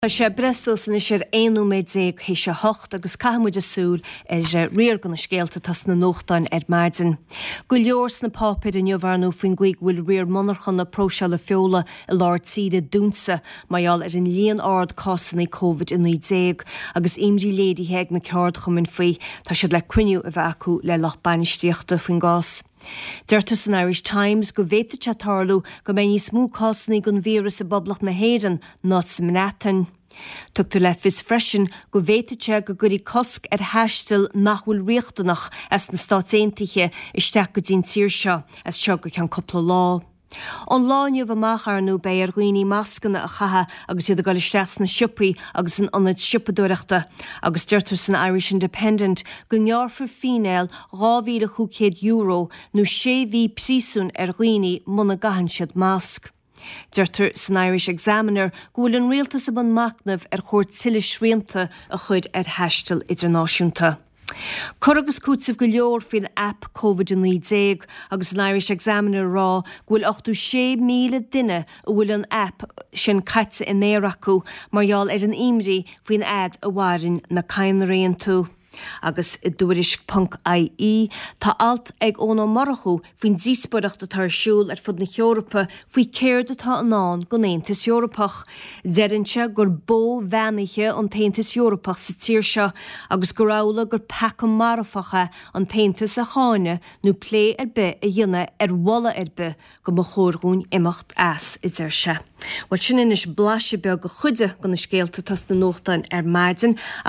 Tá sé breith suas anois ar 11 nóiméad théis a hocht agus caithfidh muid súil ar riar de na scéalta atá sna nuachtáin ar maidin. Go leor sna páipéir inniu ar ndóigh faoin gcaoi go bhfuil riar monarchana próiseála feola i lár tíre dúnta mar gheall ar an líon ard cásanna Covid-19 agus imní léirithe ag na ceardchumainn faoi. Tá siad le cruinniú a bheith acu le lucht bainistíochta faoin gcás. Deirtear san Irish Times go bhféadfadh sé tarlú go mbeidh níos mó cásanna den víreas i bPoblacht na hÉireann ná sa mBreatain. Tugtar le fios freisin go bhféadfadh sé go gcuirfí cosc ar thaisteal nach bhfuil riachtanach as na Stáit Aontaithe isteach go dtí an tír seo as seo go ceann cúpla lá. Ón lá inniu amach, ar ndóigh, beidh ar dhaoine mascanna a chaitheamh agus iad ag dul isteach sna siopaí agus in ionaid siopadóireachta agus deirtear san Irish Independent go ngearrfar fíneáil €2,500 nó sé mhí príosúin ar dhaoine muna gcaitheann siad masc. Deirtear san Irish Examiner go bhfuil an rialtas i mbun machnaimh ar chóir tuilleadh srianta a chur ar thaisteal idirnáisiúnta. Cur agus cúiteamh go leor faoin aip Covid-19 agus an Irish Examiner ag rá go bhfuil 86,000 duine a bhfuil an aip sin caite in aer acu mar gheall ar an imní faoin fhad a mhaireann na cadhnraí iontu. Agus i dTuairisc ponc IE tá alt ag Eoin Ó Murchú faoin díospóireacht atá ar siúl ar fud na hEorpa faoi céard atá i ndán don Aontas Eorpach. Deireann sé gur bó bheannaithe an tAontas Eorpach sa tír seo agus gur amhlaidh gur peaca marfach é an tAontas a cháineadh nó plé ar bith a dhéanamh ar mholadh ar bith go mba chóir dhúinn imeacht as, a deir sé. Bhuel, sin anois blaiseadh beag de chuid de na scéalta atá sna nuachtáin ar maidin.